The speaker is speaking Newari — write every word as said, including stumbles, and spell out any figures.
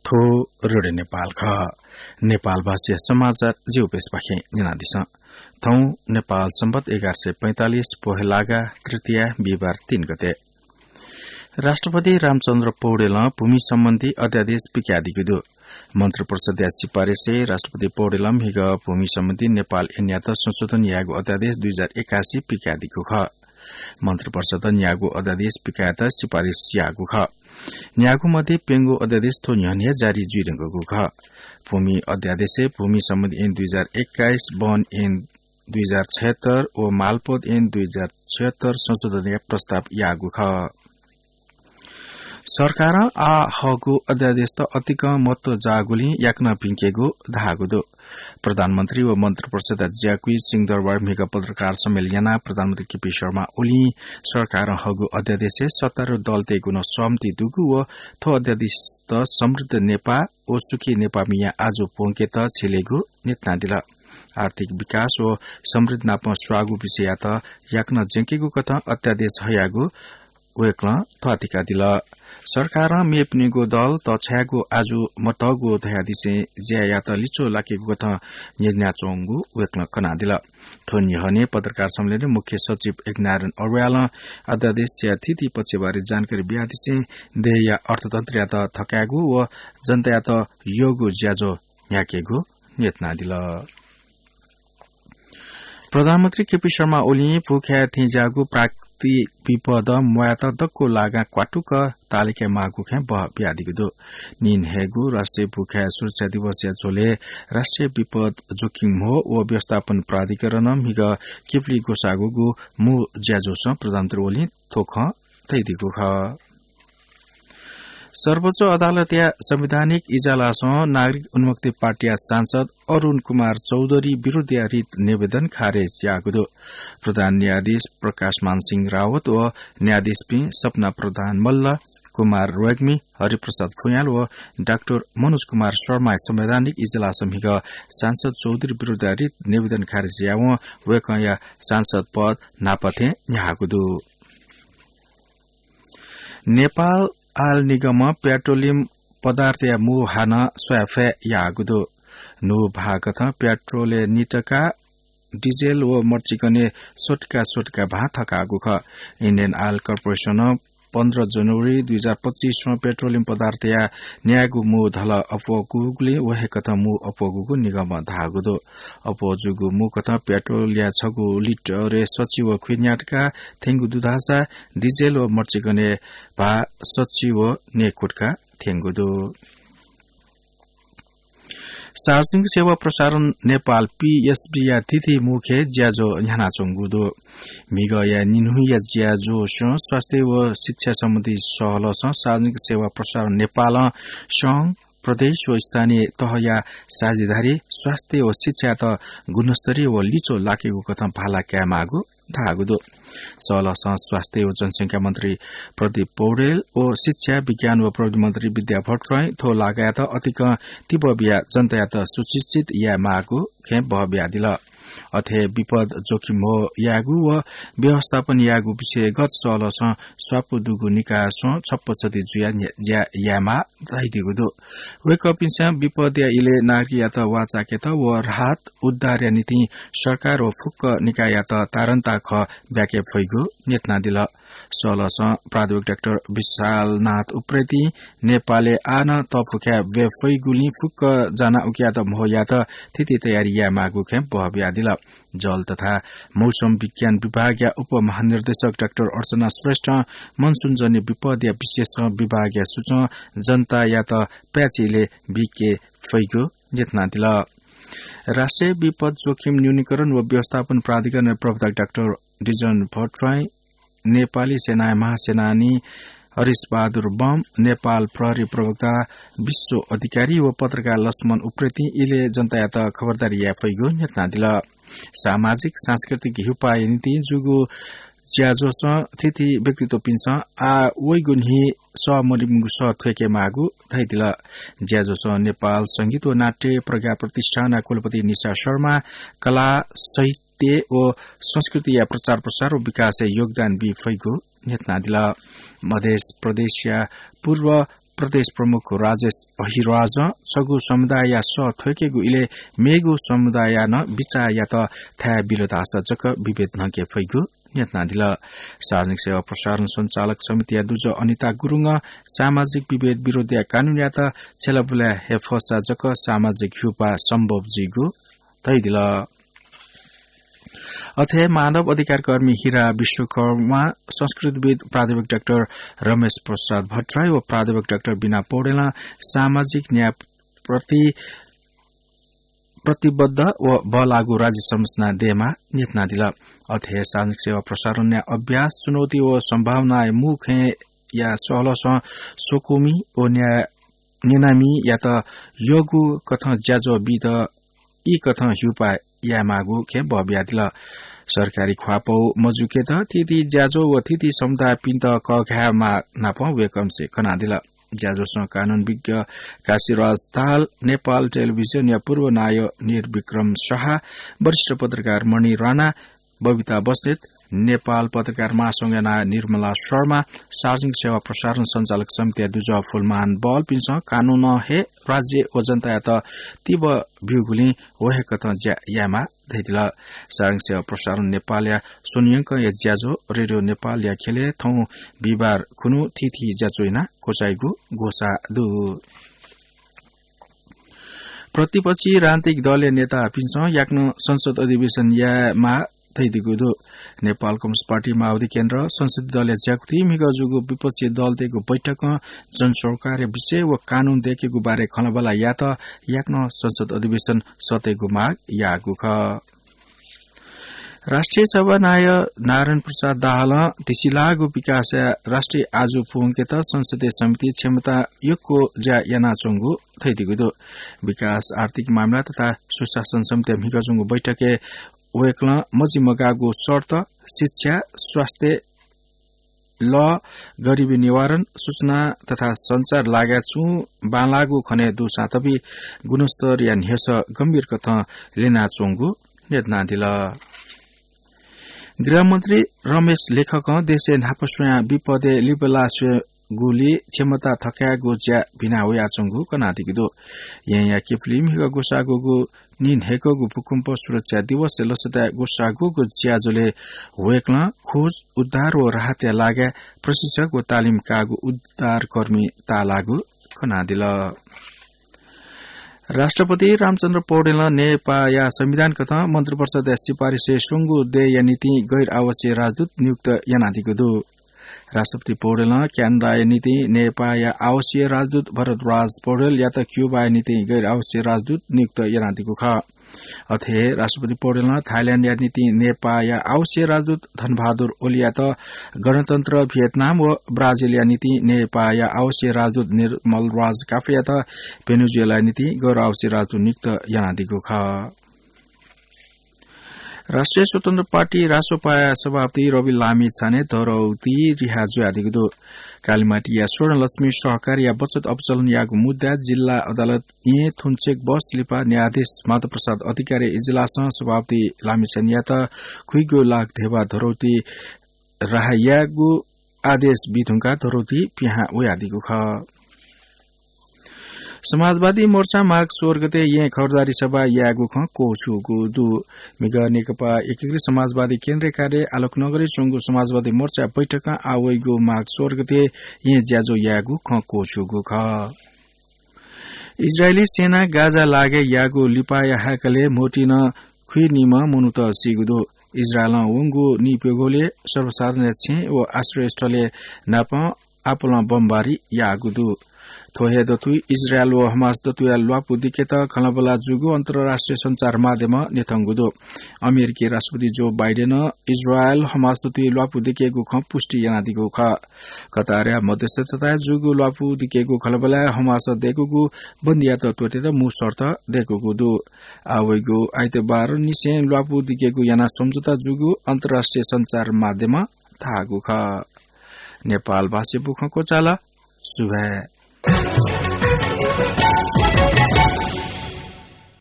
थ्व रेडियो नेपाल खः। नेपाल भाषा समाचार जिगु पेजपाखें न्यनादिसँ। थौं नेपाल सम्बत एघार सय पैंतालिस पोहेलागा तृतीया बिहिबार तीन गते। राष्ट्रपति रामचन्द्र पौडेलं भूमि सम्बन्धी अध्यादेश पिकादीगु दु। मन्त्रिपरिषदया सिफारिसय् राष्ट्रपति पौडेलं म्हिगः भूमि सम्बन्धी नेपाल ऐनयात संशोधन यायेगु अध्यादेश दुई हजार एकासी पिकादीगु खः। मन्त्रिपरिषदं न्यागू अध्यादेश पिकायेत सिफारिस याःगु खः। न्यागू मध्ये प्यंगू अध्यादेश थ्व न्ह्यःने हे जारी जुइधुंकूगु खः। भूमि अध्यादेशय् भूमि सम्बन्धी ऐन दुई हजार एक्काइस, वन ऐन दुई हजार छयत्तर व मालपोत ऐन दुई हजार छयत्तर संशोधनया प्रस्ताव याःगु खः। सरकारं आः हःगु अध्यादेशत अतिकं महत्व जाःगुलिं याकनं भिंकेगु धाःगु दु। प्रधानमन्त्री व मन्त्रिपरिषदया ज्याकुइ सिंहदरबारय् म्हिगः पत्रकार सम्मेलन यानाः प्रधानमन्त्री केपी शर्मा ओलीं सरकारं हःगु अध्यादेशय् सत्तारूढ दलतय्गु नं सहमति दुगु व थ्व अध्यादेशत समृद्ध नेपाः व सुखी नेपाःमिया आजु प्वंकेत झिलेगु न्ह्यथनादिल। आर्थिक विकास व समृद्धि नाप स्वाःगु विषययात याकनं ज्यंकेगु कथं अध्यादेश हयागु वय्कलं ध्वाथुइकादिल। सरकारं मेपिनिगु दल तछायेगु आजु मतःगु धयादिसें ज्यायात लिच्वः लाकेगु कथं न्यनाच्वंगु वय्कलं कनादिल। थ्व न्ह्यःने पत्रकार सम्मेलनय् मुख्य सचिव यज्ञनारायण अर्यालं अध्यादेशया थीथी पक्षबारे जानकारी बियादिसें देय्या अर्थतन्त्रयात थकायेगु व जनतायात यःगु ज्याझ्वः न्ह्याकेगु न्ह्यथनादिल। प्रधानमन्त्री केपी शर्मा ओलीं भूखाय् थेंज्याःगु प्राकृतिक विपदं म्वायेत दक्व लागां क्वातुक ताःलाके माःगु खँय् बहः बियादीगु दु। नीन्हय्गू राष्ट्रिय भूखाय् सुरक्षा दिवसया झ्वलय् राष्ट्रिय विपद जोखिम म्हो व व्यवस्थापन प्राधिकरणं म्हिगः किपुली ग्वसाःगुगु मू ज्याझ्वलय् प्रधानमन्त्री ओलीं थ्व खँ धयादीगु खः। सर्वोच्च अदालतया संवैधानिक इजलासं नागरिक उन्मुक्ति पार्टीया सांसद अरुण कुमार चौधरी विरुद्धया रिट निवेदन खारेज याःगु दु। प्रधान न्यायाधीश प्रकाशमान सिंह रावत व न्यायाधीशपिं सपना प्रधान मल्ल, कुमार रेग्मी, हरिप्रसाद फुयाल व डाक्टर मनोज कुमार शर्माया संवैधानिक इजलासं म्हिगः सांसद चौधरी विरुद्धया रिट निवेदन खारेज याःवं वय्कःया सांसद पद न्हापा थें न्ह्याःगु दु। नेपाल आयल निगमं पेट्रोलियम पदार्थया मू हानं स्वयाफये याःगु दु। नू भाःकथं पेट्रोलय् नितका, डिजेल व मर्चिकनय् स्वतका स्वतका भां थकाःगु खः। इन्डियन आयल कर्पोरेसनं पन्ध्र जनवरी दुई हजार पच्चिसं पेट्रोलियम पदार्थया न्यागू मू धल अप्वःगुगुलिं व हे कथं मू अप्वःगुगु निगमं धाःगु दु। अप्वः जूगु मू कथं पेट्रोलया छगू लिटरय् सच्छि व ख्वीन्यातका थ्यंगु दु धाःसा डिजेल व मर्चिकनय् भाः सच्छि व न्यय्कुतका थ्यंगु दु। सार्वजनिक सेवा प्रसारण नेपाल, पीएसबीया थीथी मुख्य ज्याझ्वः न्ह्यानाच्वंगु दु। म्हिगःया निन्हुया ज्याझ्वःसं स्वास्थ्य व शिक्षा सम्बन्धी सहलसं सार्वजनिक सेवा प्रसारण नेपालं संघ, प्रदेश व स्थानीय तहया साझेदारी स्वास्थ्य व शिक्षायात गुणस्तरीय व लिच्वः लाकेगु कथं भाला कायेमाःगु धाःगु दु। सहलसं स्वास्थ्य व जनसंख्या मन्त्री प्रदीप पौडेल व शिक्षा, विज्ञान व प्रविधि मन्त्री विद्या भट्टराईं थ्व लागायात अतिकं तिबः बियाः जनतायात सुशिक्षित यायेमाःगु खँय् बहः बियादिल। अथे विपद जोखिम म्हो यायेगु व व्यवस्थापन यायेगु विषयगत सहलसं स्वापू दुगु निकायसं छप्पछति जुयाः न्ह्या-, ज्या यायेमाः धयादीगु दु। वय्कःपिन्सं विपदया इलय् नागरिकयात वाःचाकेत व राहत उद्धारया निंतिं सरकार व फुक्क निकाययात तारन्ता खँ ब्याके फइगु न्ह्यथनादिल। सहलसं प्राध्यापक डाक्टर विशालनाथ उप्रेतीं नेपालय् आः नं तःफुखाय् वये फइगुलिं फुक्कं जानाः उकियात म्हो यायेत थीथी तयारी यायेमाःगु खँय् बहः बियादिल। जल तथा मौसम विज्ञान विभागया उपमहानिर्देशक डाक्टर अर्चना श्रेष्ठं मनसुनजन्य विपदया विशेषज्ञ विभागया सुचं जनतायात प्याच्छि इलय् बीके फइगु न्ह्यथनादिल। राष्ट्रिय विपद जोखिम न्यूनीकरण व व्यवस्थापन प्राधिकरणया प्रवक्ता डाक्टर डिजन भट्टराई, नेपाली सेनाया महासेनानी हरिश बहादुर बम, नेपाल प्रहरी प्रवक्ता विश्व अधिकारी व पत्रकार लक्ष्मण उप्रेतीं इलय् जनतायात खबरदारी याये फइगु न्ह्यथनादिल। सामाजिक सांस्कृतिक हिउपाःया निंतिं जूगु ज्याझ्वःसं थीथी व्यक्तित्वपिन्सं आः वइगु न्हि सः मदुम्हय्गु सः थ्वयेके माःगु धयादिल। ज्याझ्वःसं नेपाल संगीत व नाट्य प्रज्ञा प्रतिष्ठानया कुलपति निशा शर्मा, कला, साहित्य व संस्कृतिया प्रचार प्रसार व विकासय् योगदान बी फइगु न्ह्यथनादिल। मधेस प्रदेशया पूर्व प्रदेश प्रमुख राजेश अहिराजं छगू समुदायया सः थ्वय्केगु इलय् मेगु समुदायया नं बिचाःयात थाय् बिल धाःसा जक विभेद न्हंके फइगु न्ह्यथनादिल। सार्वजनिक सेवा प्रसारण सञ्चालक समितिया दुजः अनिता गुरुङं सामाजिक विभेद विरोधया कानूनयात छ्यलाबुला हे फःसा जक सामाजिक ह्यूपाः सम्भव जुइगु धयादिल। अथे मानव अधिकार कर्मी हिरा विश्वकर्मा, संस्कृतिविद प्राध्यापक डाक्टर रमेश प्रसाद भट्टराई व प्राध्यापक डाक्टर बिना पौडेलं सामाजिक न्याय प्रति प्रतिबद्ध व बल्लाःगु राज्य संरचना दयेमाः न्ह्यथनादिल। अथे सार्वजनिक सेवा प्रसारणया अभ्यास, चुनौती व सम्भावनाया मू खँया सहलहसं स्वकुमि व न्या-, न्यनामियात यःगु कथं ज्याझ्वः बीत ई कथं ह्यूपाः यायेमाःगु खँय् बः बियादिल। सरकारी ख्वाःपौ मजुकेत थीथी ज्याझ्वः व थीथी समुदायपिन्त कःघायेमाः नापं वय्कःपिन्सं कनादिल। ज्याझ्वलय् कानून विज्ञ काशीराज ताल, नेपाल टेलिभिजनया पूर्व नायः निर्विक्रम शाह, वरिष्ठ पत्रकार मणि राणा, बबिता बस्नेत, नेपाल पत्रकार महासंघया नायः निर्मला शर्मा, सार्वजनिक सेवा प्रसारण सञ्चालक समितिया दुजः फुलमान बलपिन्सं कानूनं हे राज्य व जनतायात तिबः ब्यूगुलिं व हे कथं ज्या यायेमाः धयादिल। सार्वजनिक सेवा प्रसारण नेपालया स्वन्हुयंकंया ज्याझ्वः रेडियो नेपालया ख्यलय् थौं बिहिबार खुन्हु थीथी ज्याझ्वः यानाः क्वचाइगु घोषणा दु। प्रतिपक्षी राजनीतिक दलया नेतापिन्सं याकनं संसद अधिवेशन यायेमाः धयादीगु दु। नेपाल कम्युनिस्ट पार्टी माओवादी केन्द्र संसदीय दलया ज्याकुथिइ म्हिगः जूगु विपक्षी दलतय्गु बैठकं जनसरोकारया विषय व कानून दय्केगु बारे खँल्हाबल्हा यायेत याकनं संसद अधिवेशन सःतेगु माग याःगु खः। राष्ट्रिय सभा नायः नारायण प्रसाद दाहालं धिसिलाःगु विकासया राष्ट्रिय आजु पूवंकेत संसदीय समिति क्षमता यक्व ज्या यानाच्वंगु धयादीगु दु। विकास, आर्थिक मामिला तथा सुशासन समितिया म्हिगः जूगु बैठकय् वय्कलं मजिमगाःगु शर्त, शिक्षा, स्वास्थ्य, लः, गरिबी निवारण, सूचना तथा सञ्चार लगायत छुं बांलाःगु खने दुसां तबि गुणस्तरया न्ह्यसः गम्भीर कथं ल्यनाच्वंगु न्ह्यथनादिल। गृहमन्त्री रमेश लेखकं देशय् न्हापा स्वयां विपदय् लिपा लाः स्वयेगुली क्षमता थकायेगु ज्या भिना वयाच्वंगु कनादीगु दु। येँया किपुली म्हिगः ग्वसाः ग्वःगु नीन्हय्कःगु भूकम्प सुरक्षा दिवसय् लसताय् ग्वसाः ग्वःगु ज्याझ्वलय् वय्कलं खोज, उद्धार व राहतया लागाय् प्रशिक्षक व तालिम काःगु उद्धारकर्मी ताःलाःगु कनादिल। राष्ट्रपति रामचन्द्र पौडेलं नेपाःया संविधान कथं मन्त्रिपरिषदया सिफारिसय् स्वंगू देय्या निंतिं गैर आवासीय राजदूत नियुक्त यानादीगु दु। राष्ट्रपति पौडेलं क्यानाडाया निंतिं नेपाःया आवासीय राजदूत भरद्वाज पौडेलयात क्यूबाया निंतिं गैर आवासीय राजदूत नियुक्त यानादीगु खः। अथे हे राष्ट्रपति पौडेलं थाइल्याण्डया निंतिं नेपाःया आवासीय राजदूत धनबहादुर ओलीयात गणतन्त्र भियतनाम व ब्राजिलया निंतिं नेपाःया आवासीय राजदूत निर्मल राज काफ्लेयात भेनेजुएलाया निंतिं गैर आवासीय राजदूत नियुक्त यानादीगु खः। राष्ट्रिय स्वतन्त्र पार्टी रासोपाया सभापति रवि लामिछाने धरौटी रिहा जुयादीगु दु। कालिमाटीया स्वर्णलक्ष्मी सहकारीया बचत अपचलनयागु मुद्दाय् जिल्ला अदालत येँ थुन्चेक वर्ष लिपा न्यायाधीश माधव प्रसाद अधिकारीया इजलासं सभापति लामिछानेयात खुइगू लाख धेबा धरौटी राहा यायेगु आदेश बीधुंकाः धरौटी पिहां वयादीगु खः। समाजवादी मोर्चां माघ सोह्र गते येँ खबरदारी सभा यायेगु खँ क्वछूगु दु। म्हिगः नेकपा एकीकृत समाजवादी केन्द्रीय कार्यालय आलोकनगरय् च्वंगु समाजवादी मोर्चा बैठकं आः वइगु माघ सोह्र गते येँ ज्याझ्वः यायेगु खँ क्वछूगु खः। इजरायली सेनां गाजा लागाय् याःगु लिपाया हाय्कलय् म्होतिं नं खुइनिम्ह मनूत सीगु दु। इजरायलं वंगु निइप्यघौलय् सर्वसाधारणया छेँ व आश्रयस्थलय् नापं आपालं बमबारी याःगु दु। थ्व हे दथुइ इजरायल व हमास दथुया ल्वापु दिकेत खँल्हाबल्हा जूगु अन्तर्राष्ट्रिय सञ्चार माध्यमं न्ह्यथंगु दु। अमेरिकी राष्ट्रपति जो बाइडेनं इजरायल हमास दथुइ ल्वापु दिकेगु खँ पुष्टि यानादीगु खः। कतारया मध्यस्थताय् जूगु ल्वापु दिकेगु खँल्हाबल्हाय् हमासं दय्कूगु बन्दीयात त्वःतेत मू शर्त दय्कूगु दु। आः वइगु आइतबारनिसें ल्वापु दिकेगु यानाः सम्झौता जूगु अन्तर्राष्ट्रिय सञ्चार माध्यमं धाःगु खः। नेपाल भाषाय् बुखँ क्वचाल। सुभाय्।